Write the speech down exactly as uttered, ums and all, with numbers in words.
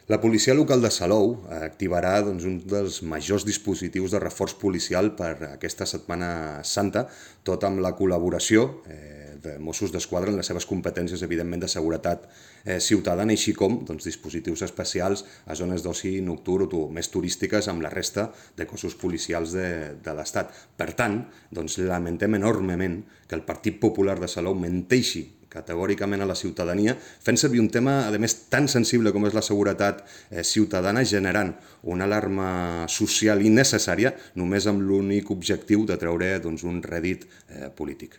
La policia local de Salou activarà doncs, un dels majors dispositius de reforç policial per aquesta Setmana Santa, tot amb la col·laboració eh, de Mossos d'Esquadra en les seves competències, evidentment, de seguretat eh, ciutadana, així com doncs, dispositius especials a zones d'oci nocturn o més turístiques amb la resta de cossos policials de, de l'Estat. Per tant, doncs, lamentem enormement que el Partit Popular de Salou menteixi categòricament a la ciutadania, fent servir un tema, a més, tan sensible com és la seguretat eh, ciutadana, generant una alarma social innecessària només amb l'únic objectiu de treure doncs, un rèdit eh, polític.